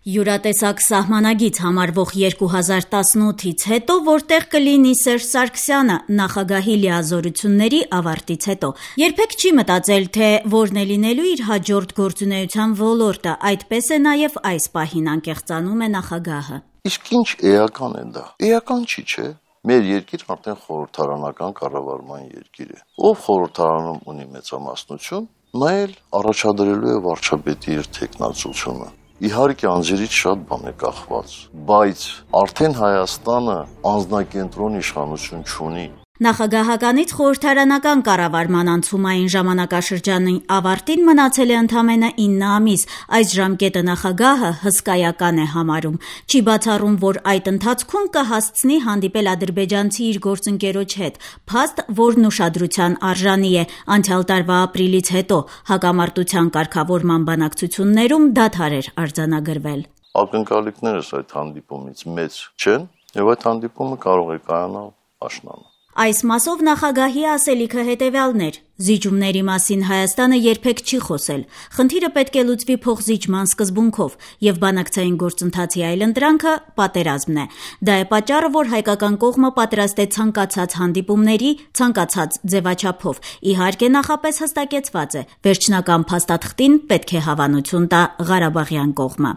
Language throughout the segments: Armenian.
Յուրատեսակ սահմանագիծ համարվող 2018-ից հետո, որտեղ կլինի Սերժ Սարգսյանը նախագահի լիազորությունների ավարտից հետո, երբեք չի մտածել, թե որն է լինելու իր հաջորդ գործունեության ոլորտը, այդպես է նաև այս պահին անկեղծանում է նախագահը։ Իսկ ինչ էական է դա։ Էական չի, չէ՞։ Մեր երկիր արդեն խորհրդարանական կառավարման երկիր է։ Ով խորհրդարանում ունի մեծամասնություն, նա էլ առաջադրելու է վարչապետի իր թեկնածությունը։ Իհարկե անձերից շատ բան է կախված, բայց արդեն Հայաստանը անձնակենտրոն իշխանություն չունի։ Նախագահականից խորհրդարանական կառավարման անցումային ժամանակաշրջանի ավարտին մնացել է ընդամենը 9 ամիս, այս ժամկետը նախագահը հսկայական է համարում։ Չի բացառում, որ այդ ընթացքում կհասցնի հանդիպել ադրբեջանցի իր գործընկերոջ հետ, փաստ, որն ուշադրության արժանի է։ Անցյալ տարվա ապրիլից հետո հակամարտության կարգավորման բանակցություններում դադար էր արձանագրվել։ Ակնկալիքներս այդ հանդիպումից մեծ չեն, եւ այդ հանդիպումը կարող է կայանալ աշնանը։ Այս մասով նախագահի ասելիքը հետևյալն էր. զիջումների մասին Հայաստանը երբեք չի խոսել։ Խնդիրը պետք է լուծվի փոխզիջման սկզբունքով, եւ բանակցային գործընթացի այլընտրանքը պատերազմն է։ Դա է պատճառը, որ հայկական կողմը պատրաստ է ցանկացած հանդիպումների, ցանկացած ձևաչափով։ Իհարկե նախապես հստակեցված է, վերջնական փաստաթղթին պետք է հավանություն տա Ղարաբաղյան կողմը։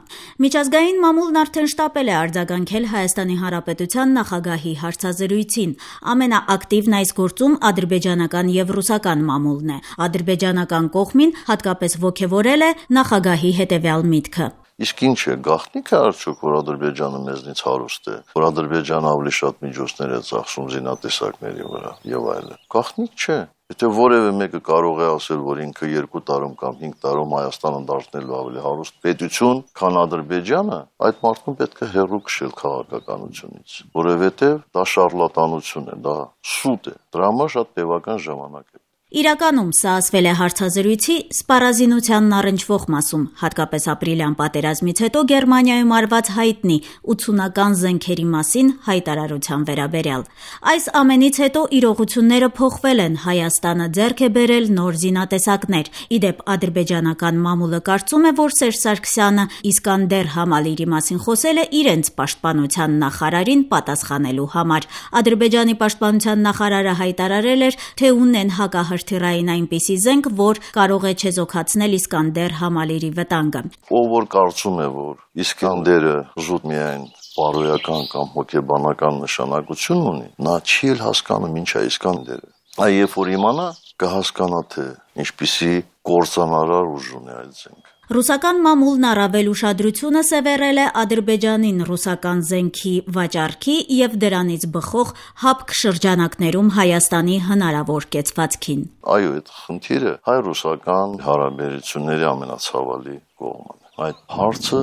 Միջազգային մամուլն արդեն շտապել է արձագանքել Հայաստանի Հանրապետության նախագահի հարցազրույցին։ Ամենաակտիվն այս գործում ադրբեջանական եւ ռուսական մամուլն է։ Ադրբեջանական կողմին հատկապես ոգևորել է նախագահի հետևյալ միտքը։ Իսկ ինչ է, գաղտնիք է արդյոք, որ Ադրբեջանը մեզնից հարուստ է, որ Ադրբեջանը ավելի շատ միջոցներ է ծախսում զինատեսակների վրա եւ այլն։ Գաղտնիք չէ։ Եթե որևէ մեկը կարող է ասել, որ ինքը 2 տարում կամ 5 տարում Հայաստանը դարձնելու ավելի հարուստ պետություն, քան Ադրբեջանը, այդ մարդուն պետք է հեռու քշել քաղաքականությունից, որովհետեւ դա շարլատանություն է, դա սուտ է։ Դրա համար շատ տևական ժամանակ է։ Իրականում սա ասվել է հարցազրույցի սպառազինությանն առնչվող մասում, հատկապես ապրիլյան պատերազմից հետո Գերմանիայում արված հայտնի 80-ական զենքերի մասին հայտարարության վերաբերյալ։ Այս ամենից հետո իրողությունները փոխվել են, Հայաստանը ձեռք է բերել նոր զինատեսակներ։ Իդեպ ադրբեջանական մամուլը կարծում է, որ Սերժ Սարգսյանը Իսկանդեր համալիրի մասին խոսել է իրենց պաշտպանության նախարարին պատասխանելու համար։ Ադրբեջանի պաշտպանության նախարարը հայտարարել էր, թե ունեն հակահրթիռային այնպիսի զենք, որ կարող է չեզոքացնել Իսկանդեր համալիրի վտանգը։ Ով որ կարծում է, որ Իսկանդերը զուտ միայն բարոյական կամ հոգեբանական նշանակություն ունի, նա չի էլ հասկանում ինչ է Իսկանդերը։ Այ երբ որ իմանա, կհասկանա, թե ինչպիսի կործանարար ուժ ունի այդ զենքը։ Ռուսական մամուլն առավել ուշադրությունը սևեռել է Ադրբեջանին ռուսական զենքի վաճառքի եւ դրանից բխող հապկ շրջանակներում Հայաստանի հնարավոր կեցվածքին։ Այո, այդ խնդիրը հայ-ռուսական հարաբերությունների ամենացավալի կողմն է։ Այդ հարցը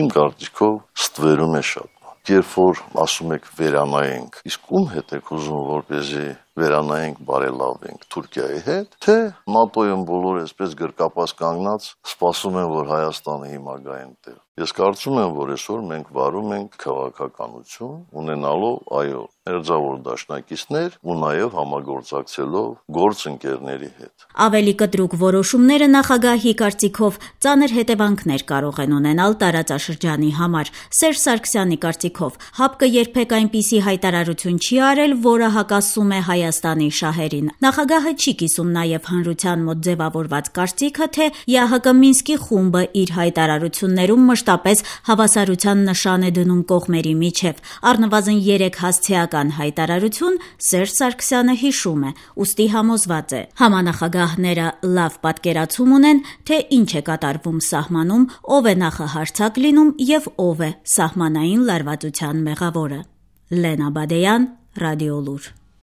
իմ կարծիքով ստվերում է շատ։ Երբ որ ասում եք վերանայենք, իսկ ում հետ եք ուզում, որպեսզի վերանայենք, բարելավենք Թուրքիայի հետ, թե ՆԱՏՕ-ում բոլորը այսպես գրկապած կանգնած սպասում են, որ Հայաստանը հիմա գա այնտեղ։ Ես կարծում եմ, որ այսօր մենք վարում ենք քաղաքականություն, ունենալով, այո, մերձավոր դաշնակիցներ ու նաև համագործակցելով գործընկերների հետ։ Ավելի կտրուկ որոշումները նախագահի կարծիքով ծանր հետևանքներ կարող են ունենալ տարածաշրջանի համար։ Սերժ Սարգսյանի կարծիքով հապկը երբեք այնպիսի հայտարարություն չի արել, որը հակասում է Հայաստանի շահերին։ Նախագահը չի կիսում նաև հանրության մոտ ձևավորված կարծիքը, թե ԵԱՀԿ Մինսկի խումբը իր հայտարարություններում մշտապես հավասարության նշան է դնում կողմերի միջև։ Առնվազն 3 հասցեական հայտարարություն Սերժ Սարգսյանը հիշում է, ուստի համոզված է։ Համանախագահները լավ պատկերացում ունեն, թե ինչ է կատարվում սահմանում, ով է նախահարձակ լինում եւ ով է սահմանային լարվածության մեղավորը։ Լենա Բադեյան, Ռադիոլուր։